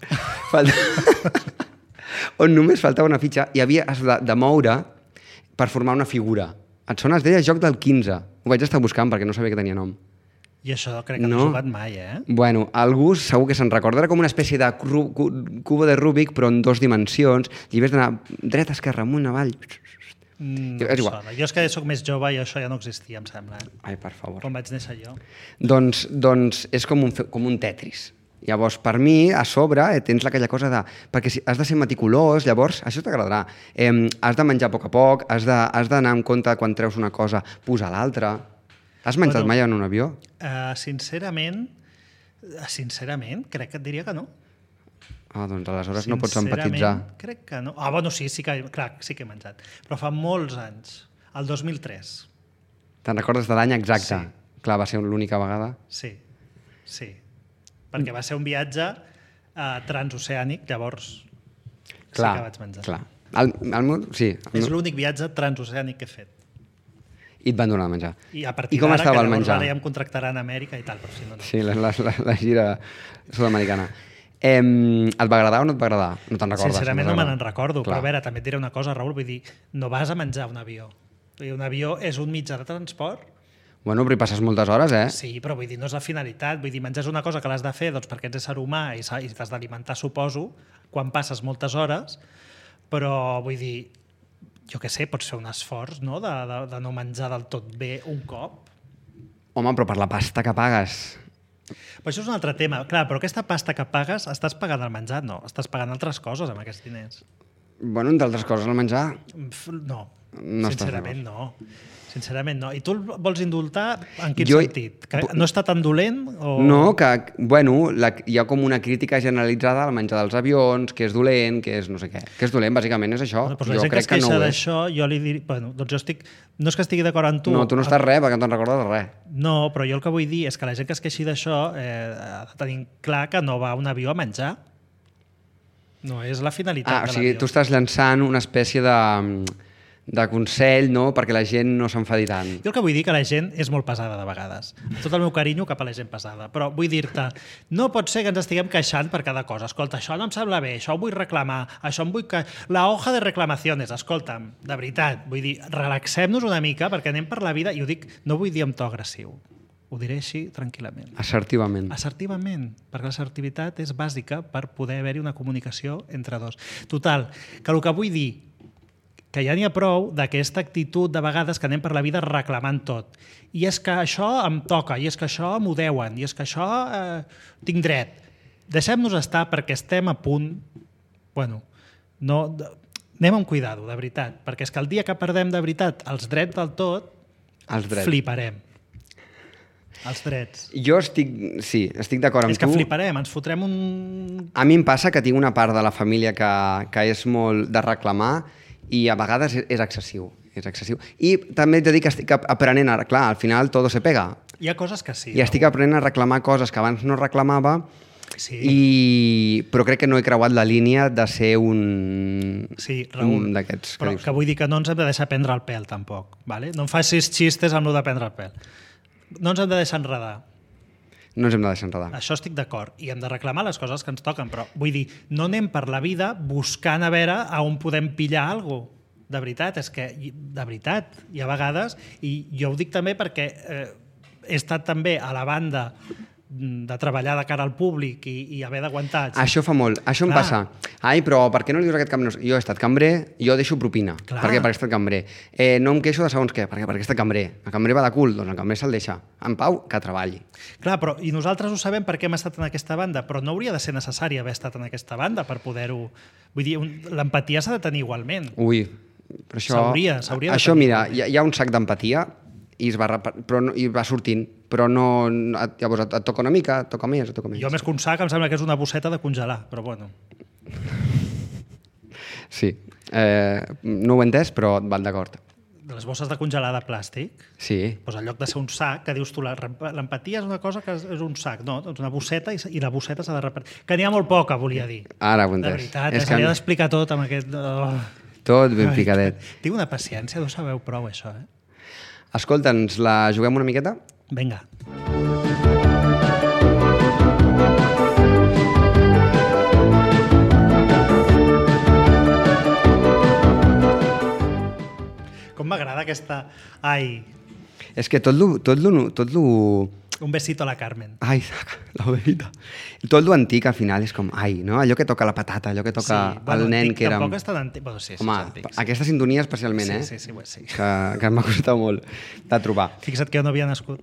On només faltava una fitxa i havies de moure per formar una figura. Et sona? Es deia joc del 15. Ho vaig estar buscant perquè no sabia que tenia nom. I això crec que no he jugat mai, Bueno, algú segur que se'n recorda. Era com una espècie de cubo de Rubik, però en 2 dimensions. I havies d'anar dreta, esquerra, amunt, avall, No em sona. Jo és que soc més jove i això ja no existia, em sembla. Ai, per favor. Quan vaig néixer jo. Doncs és com un Tetris. Llavors, per mi, a sobre, tens aquella cosa de... Perquè si has de ser meticulós, llavors, això t'agradarà. Has de menjar a poc, has d'anar en compte quan treus una cosa, posar l'altra. Has menjat mai en un avió? Sincerament, crec que et diria que no. Doncs aleshores no pots empatitzar. Crec que no. Bueno, sí que he menjat. Però fa molts anys. El 2003. Te'n recordes de l'any exacte? Sí. Clar, va ser l'única vegada? Sí. Perquè va ser un viatge transoceànic, llavors sí que vaig menjar. Clar. És l'únic viatge transoceànic que he fet. I et van donar a menjar. I a partir com estava el menjar? Ara ja em contractaran a Amèrica i tal, però si no... Sí, la gira sud-americana. Et va agradar o no et va agradar? No te'n recordes? Sincerament no me n'en recordo, però a veure, també et diré una cosa, Raül, vull dir, no vas a menjar un avió. Un avió és un mitjà de transport. Bueno, però hi passes moltes hores, Sí, però vull dir, no és la finalitat. Vull dir, menjar és una cosa que l'has de fer doncs, perquè ets ésser humà i t'has d'alimentar, suposo, quan passes moltes hores, però vull dir, jo què sé, pots fer un esforç, no?, de no menjar del tot bé un cop. Home, però per la pasta que pagues... Però això és un altre tema. Clar, però aquesta pasta que pagues, estàs pagant el menjar? No, estàs pagant altres coses amb aquests diners. Bueno, entre altres coses, el menjar... No, sincerament no. Sincerament no. I tu el vols indultar en quin sentit? Que no està tan dolent? O... No, que, bueno, hi ha com una crítica generalitzada al menjar dels avions, que és dolent, que és no sé què. Que és dolent, bàsicament, és això. Bueno, doncs la gent que es queixa d'això, jo li diria... Bueno, doncs jo estic... No és que estigui d'acord amb tu... No, tu no estàs res, perquè no te'n recordes de res. No, però jo el que vull dir és que la gent que es queixi d'això ha de tenir clar que no va a un avió a menjar. No és la finalitat de l'avió. O sigui, tu estàs llançant una espècie de consell, no?, perquè la gent no s'enfadi tant. Jo el que vull dir que la gent és molt pesada de vegades. Tot el meu carinyo cap a la gent pesada. Però vull dir-te, no pot ser que ens estiguem queixant per cada cosa. Escolta, això no em sembla bé, això ho vull reclamar, això em vull... La hoja de reclamacions, escolta'm, de veritat, vull dir, relaxem-nos una mica perquè anem per la vida, i ho dic, no vull dir amb to agressiu, ho diré així tranquil·lament. Assertivament. Assertivament, perquè l'assertivitat és bàsica per poder haver-hi una comunicació entre dos. Total, que el que vull dir que ja n'hi ha prou d'aquesta actitud de vegades que anem per la vida reclamant tot. I és que això em toca, i és que això m'ho deuen, i és que això tinc dret. Deixem-nos estar perquè estem a punt... Bueno, no, anem amb cuidado, de veritat, perquè és que el dia que perdem de veritat els drets del tot, fliparem. Els drets. Jo estic d'acord amb tu. És que fliparem, ens fotrem un... A mi em passa que tinc una part de la família que és molt de reclamar i a vegades és excessiu. I també t'he dit que estic aprenent a... Clar, al final todo se pega. Hi ha coses que sí. I estic aprenent a reclamar coses que abans no reclamava, però crec que no he creuat la línia de ser un d'aquests. Però que vull dir que no ens hem de deixar prendre el pèl, tampoc. Vale? No em facis xistes amb el de prendre el pèl. No ens hem de deixar enredar. No ens hem de deixar enredar. Això estic d'acord. I hem de reclamar les coses que ens toquen, però vull dir, no anem per la vida buscant a veure a on podem pillar alguna cosa. De veritat, és que, de veritat, hi ha vegades, i jo ho dic també perquè he estat també a la banda de treballar de cara al públic i haver d'aguantar... Això fa molt. Això em passa. Ai, però per què no li dius aquest cambrer? Jo he estat cambrer, jo deixo propina. Perquè he estat cambrer. No em queixo de segons què, perquè he estat cambrer. El cambrer va de cul, doncs el cambrer se'l deixa. En pau, que treballi. Clar, però i nosaltres ho sabem perquè hem estat en aquesta banda, però no hauria de ser necessari haver estat en aquesta banda per poder-ho... Vull dir, l'empatia s'ha de tenir igualment. Ui, però això... S'hauria de tenir. Això, mira, hi ha un sac d'empatia i va sortint, però no... Llavors et toca una mica, et toca més, et toca més. Jo més que un sac em sembla que és una bosseta de congelar, però bueno. Sí, no ho he entès, però et van d'acord. Les bosses de congelar de plàstic, sí. Doncs en lloc de ser un sac, que dius tu, l'empatia és una cosa que és un sac, no? Doncs una bosseta i la bosseta s'ha de repartir. Que n'hi ha molt poca, volia dir. Ara ho he entès. De veritat, s'hauria d'explicar tot amb aquest... Tot ben picadet. Tinc una paciència, no sabeu prou això, Escolta, ens la juguem una miqueta? Vinga. Com m'agrada aquesta... Ai... És que tot lo Un besito a la Carmen. Ai, la verita. I tot l'antic al final és com, ai, no? Allò que toca la patata, allò que toca el nen que era... Tampoc és tan antic. Bueno, sí, Home, aquesta sintonia especialment, sí, sí, sí. Que m'ha costat molt de trobar. Fixa't que jo no havia nascut.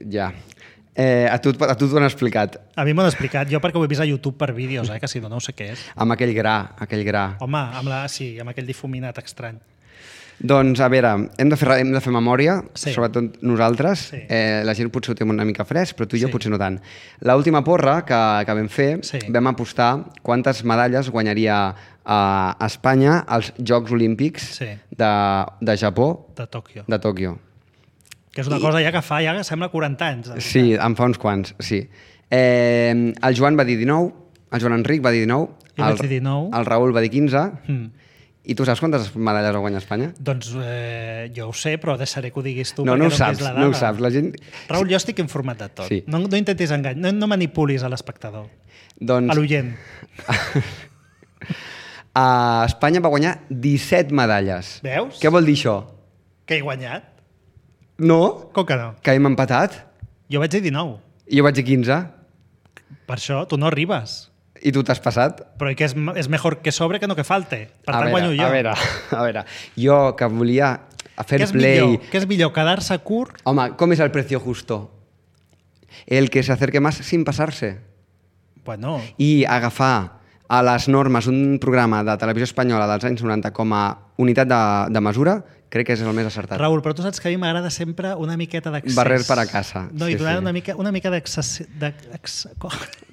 Ja. A tu t'ho han explicat. A mi m'ho han explicat, jo perquè ho he vist a YouTube per vídeos, que si no, no ho sé què és. Amb aquell gra. Home, amb aquell difuminat estrany. Doncs, a veure, hem de fer memòria, sobretot nosaltres. Sí. La gent potser ho té una mica fresc, però tu i jo potser no tant. L'última porra que vam fer, vam apostar quantes medalles guanyaria a Espanya als Jocs Olímpics de Japó. De Tòquio. De Tòquio. Que és una cosa ja que fa, ja sembla 40 anys. Sí, en fa uns quants, sí. El Joan va dir 19, el Joan Enric va dir 19, jo vaig dir 19. El Raül va dir 15, i tu saps quantes medalles ha guanyat Espanya? Doncs jo ho sé, però deixaré que ho diguis tu. No ho saps, no ho saps. La gent... Raül, jo estic informat de tot. Sí. No intentis enganyar, no manipulis a l'espectador, a l'oient. Espanya va guanyar 17 medalles. Veus? Què vol dir això? Que he guanyat? No. Com que no? Que hem empatat? Jo vaig dir 19. I jo vaig dir 15. Per això tu no arribes. I tu t'has passat? Però que és mejor que sobre que no que falte. Per tant, guanyo jo. A veure, jo que volia fer play... Què és millor, quedar-se curt? Home, com és el precio justo? El que se acerque más sin pasarse. Bueno. I agafar a les normes un programa de televisió espanyola dels anys 90 com a unitat de mesura, crec que és el més acertat. Raül, però tu saps que a mi m'agrada sempre una miqueta d'accés. Barrer per a casa. No, i donar una mica d'accés...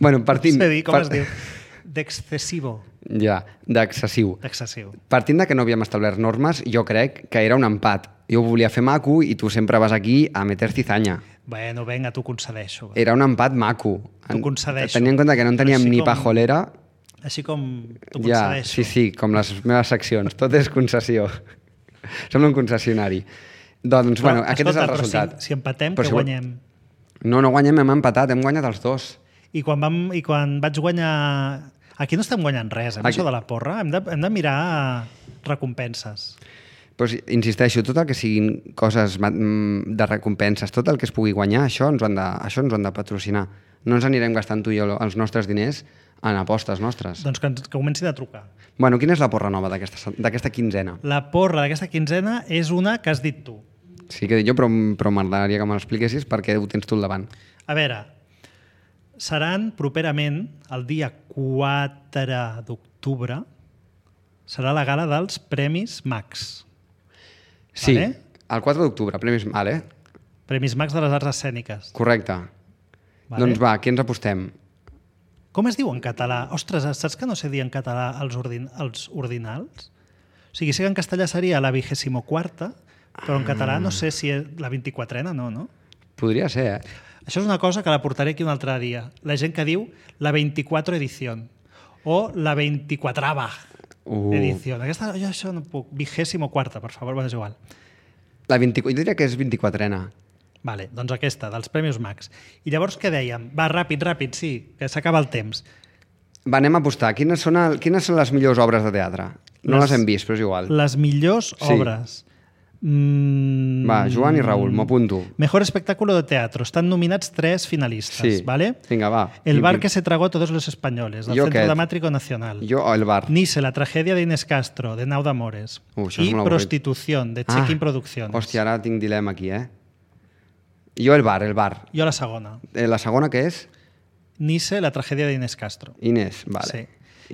Bueno, partint... No sé dir com es diu. D'excessivo. Ja, d'excessiu. Excessiu. Partint que no havíem establert normes, jo crec que era un empat. Jo ho volia fer maco i tu sempre vas aquí a meter cizanya. Bueno, vinga, t'ho concedeixo. Era un empat maco. T'ho concedeixo. Tenint en compte que no en teníem ni pajolera... Així com t'ho concedeixo. Ja, sí, com les meves seccions. Tot és concessió. Som un concessionari. Doncs, bueno, aquest és el resultat. Si empatem, que guanyem? No guanyem, hem empatat, hem guanyat els dos. I quan vaig guanyar... Aquí no estem guanyant res, això de la porra. Hem de mirar recompenses. Pues, insisteixo, tot el que siguin coses de recompenses, tot el que es pugui guanyar, això ens ho han de patrocinar. No ens anirem gastant tu i jo els nostres diners en apostes nostres. Doncs que comencin a trucar. Bueno, quina és la porra nova d'aquesta quinzena? La porra d'aquesta quinzena és una que has dit tu. Sí, que he dit jo, però m'agradaria que me l'expliquessis perquè ho tens tu al davant. A veure, seran properament el dia 4 d'octubre serà la gala dels Premis Max. Sí, el 4 d'octubre, Premis Max, Premis Max de les Arts Escèniques. Correcte. Doncs va, què ens apostem? Com es diu en català? Ostres, saps que no sé dir en català els ordinals? O sigui, sé que en castellà seria la 24ª, però en català no sé si és la 24ena, no? Podria ser, Això és una cosa que la portaré aquí un altre dia. La gent que diu la 24 edició o la 24ª edició. Jo això no puc. 24ª, per favor, és igual. Jo diria que és 24ena. Vale, doncs aquesta, dels Premis Max. I llavors què dèiem? Va, ràpid, sí, que s'acaba el temps. Va, anem a apostar. Quines són les millors obres de teatre? No les hem vist, però és igual. Les millors obres. Va, Joan i Raül, m'ho apunto. Mejor espectáculo de teatro. Estan nominats 3 finalistes, ¿vale? Vinga, va. El bar que se tragó a todos los españoles, del Centro Dramático Nacional. Jo, el bar. Nice, la tragedia de Inés Castro, de Nau d'Amores. I Prostitución, de Check-in Producciones. Hòstia, ara tinc dilema aquí, Jo el bar. Jo la segona. La segona què és? Nice, la tragedia d'Inés Castro. Inés, vale. Sí.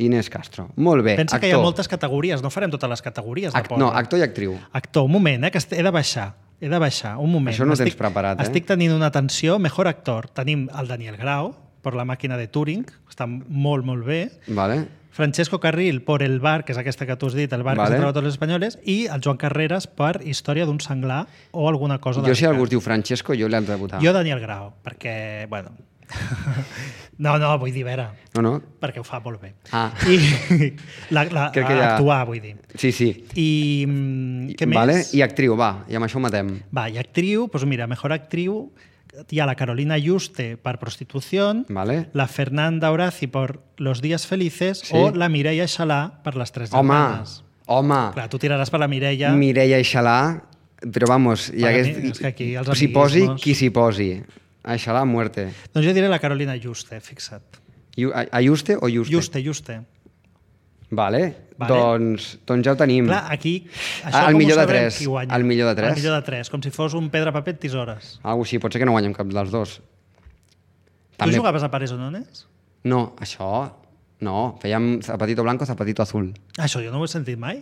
Inés Castro. Molt bé. Pensa que hi ha moltes categories, no farem totes les categories. No, actor i actriu. Actor, un moment, que he de baixar. Un moment. Això no ho tens preparat, Estic tenint una atenció. Mejor actor. Tenim el Daniel Grau, per La màquina de Turing, està molt, molt bé. Vale. Francesco Carril por El bar, que és aquesta que tu has dit, El bar que se tragó a tots els espanyoles, i el Joan Carreras per Història d'un senglar o alguna cosa de... Jo, si algú es diu Francesco, jo l'he de votar. Jo Daniel Grau, perquè, bueno... No, vull dir, vera. No. Perquè ho fa molt bé. I actuar, vull dir. Sí. I què més? Vale. I actriu, va, i amb això ho matem. Va, i actriu, doncs mira, mejor actriu... Hi ha la Carolina Yuste per Prostitución, la Fernanda Horaci per Los días felices o la Mireia Xalà per Les tres germanes. Home! Clar, tu tiraràs per la Mireia. Mireia i Xalà, però vamos, és que aquí els s'hi posi qui s'hi posi. Això la muerte. Doncs jo diré la Carolina Juste, fixa't. Ayuste o Juste? Juste. Vale. Doncs ja ho tenim. Clar, aquí... El millor de 3. El millor de 3. El millor de 3, com si fos un pedra, paper, tisores. Algo així, pot ser que no guanyem cap dels dos. Tu jugaves a pares o nones? No, això... No, fèiem zapatito blanco, zapatito azul. Això jo no ho he sentit mai.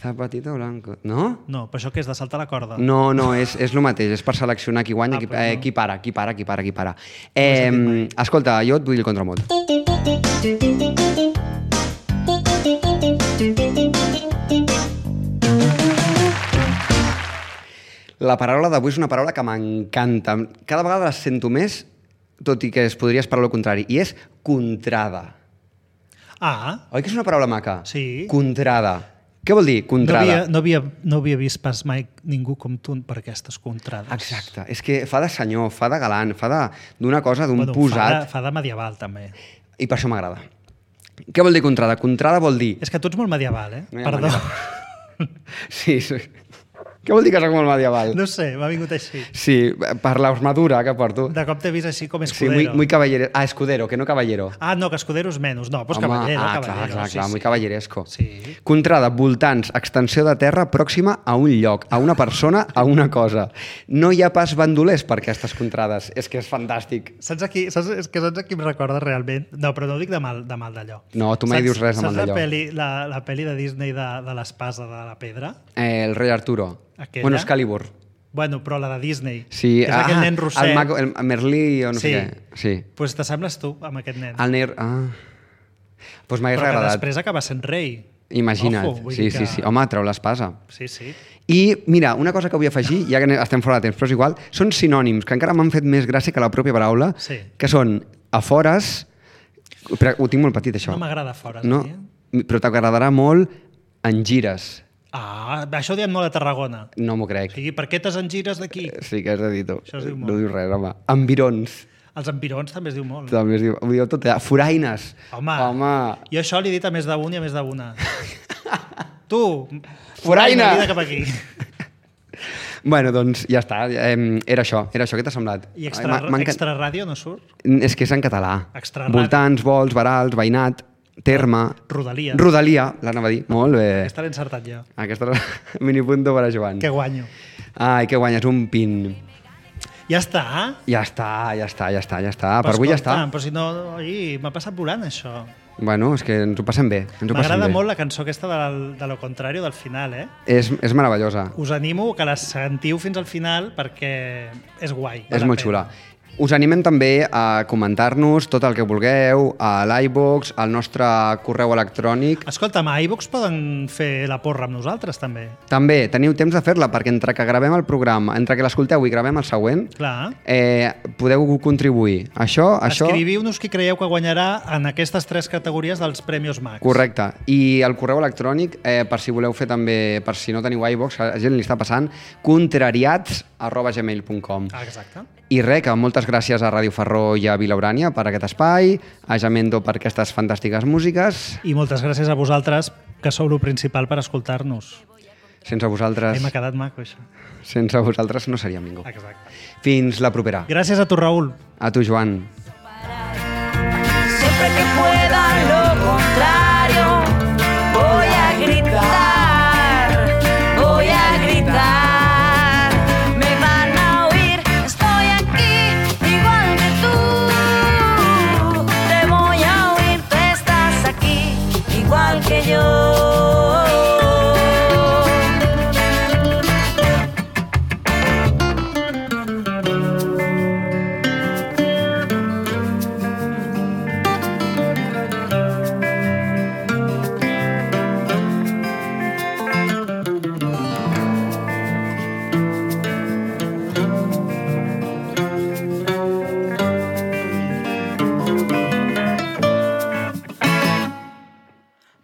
Zapatito blanco, no? No, però això què és, de saltar la corda? No, és el mateix, és per seleccionar qui guanya, qui para. Escolta, jo et vull el contramot. La paraula d'avui és una paraula que m'encanta. Cada vegada la sento més, tot i que es podria esperar el contrari, i és contrada. Ah. Oi que és una paraula maca? Sí. Contrada. Què vol dir, contrada? No havia vist pas mai ningú com tu per aquestes contrades. Exacte. És que fa de senyor, fa de galant, fa d'una cosa, d'un posat. Fa de medieval, també. I per això m'agrada. Què vol dir contrada? Contrada vol dir... És que tu ets molt medieval, eh? No Perdó. Sí. Què vol dir que soc molt medieval? No sé, m'ha vingut així. Sí, per l'armadura que porto. De cop t'he vist així com escudero. Sí, muy caballero. Ah, escudero, que no caballero. Ah, no, que escudero és menys. No, doncs caballero. Clar, muy caballeresco. Sí. Contrada, voltants, extensió de terra pròxima a un lloc, a una persona, a una cosa. No hi ha pas bandolers per aquestes contrades. És que és fantàstic. Saps qui em recorda realment? No, però no ho dic de mal d'allò. No, tu mai dius res de mal d'allò. Saps la pel·li de Disney de l'espasa de la pedra? El rei Arturo. Aquella? Bueno, Excalibur. Bueno, però la de Disney. Sí. És aquell nen rosset. El Merlí o no sé què. Sí. Pues t'assembles tu amb aquest nen. El nen... Pues m'hagués agradat. Però després acaba sent rei. Imagina't. Ojo, sí. Home, treu l'espasa. Sí. I, mira, una cosa que vull afegir, ja que estem fora de temps, però és igual, són sinònims, que encara m'han fet més gràcia que la pròpia paraula, que són afores... Però ho tinc molt petit, això. No m'agrada afores. No, però t'agradarà molt engires. Ah, això ho diem molt a Tarragona. No m'ho crec. Sí, per què t'es engires d'aquí? Sí que has de dir tu. Això es diu molt. No dius res, home. Environs. Els environs també es diu molt. També es diu, ho diu tot allà. Foraines. Home. Jo això li he dit a més d'un i a més d'una. Tu, foraina! Vine cap aquí. Bueno, doncs ja està. Era això. Què t'ha semblat? I extra ràdio no surt? És que és en català. Extra ràdio. Voltants, vols, verals, veïnat, terme... Rodalia, l'anava a dir. Molt bé. Aquesta l'he encertat jo. Aquesta minipunto per a Joan. Que guanyo. Ai, que guanyes un pin. Ja està? Ja està. Per avui ja està. Però si no, m'ha passat volant això. Bueno, és que ens ho passem bé. M'agrada molt la cançó aquesta de lo contrario del final, eh? És meravellosa. Us animo que la sentiu fins al final perquè és guai. És molt xula. Us animem també a comentar-nos tot el que vulgueu a l'iVoox, al nostre correu electrònic. Escolta'm, a iVoox poden fer la porra amb nosaltres, també. També, teniu temps de fer-la, perquè entre que gravem el programa, entre que l'escolteu i gravem el següent, podeu contribuir. Escriviu-nos qui creieu que guanyarà en aquestes 3 categories dels Premios Max. Correcte. I el correu electrònic, per si voleu fer també, per si no teniu iVoox, a la gent li està passant, contrariats@gmail.com. Exacte. I res, que moltes gràcies a Ràdio Ferró i a Vilaurània per aquest espai, a Jamendo per aquestes fantàstiques músiques. I moltes gràcies a vosaltres, que sou el principal per escoltar-nos. Sense vosaltres... M'ha quedat maco, això. Sense vosaltres no seríem ningú. Exacte. Fins la propera. Gràcies a tu, Raül. A tu, Joan. Siempre que pueda lo contrario, voy a gritar, voy a gritar. Que yo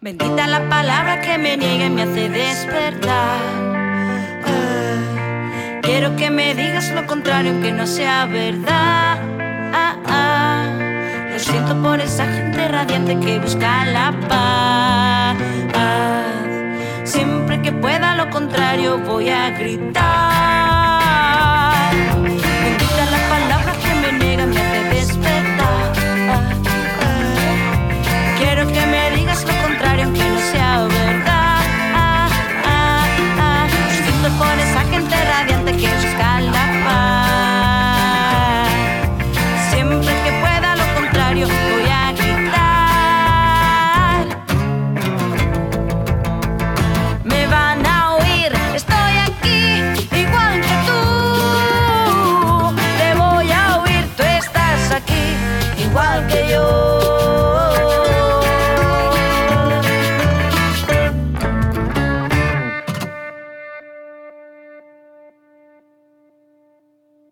bendita la palabra que me niega y me hace despertar. Quiero que me digas lo contrario, aunque no sea verdad. Lo siento por esa gente radiante que busca la paz. Siempre que pueda lo contrario voy a gritar.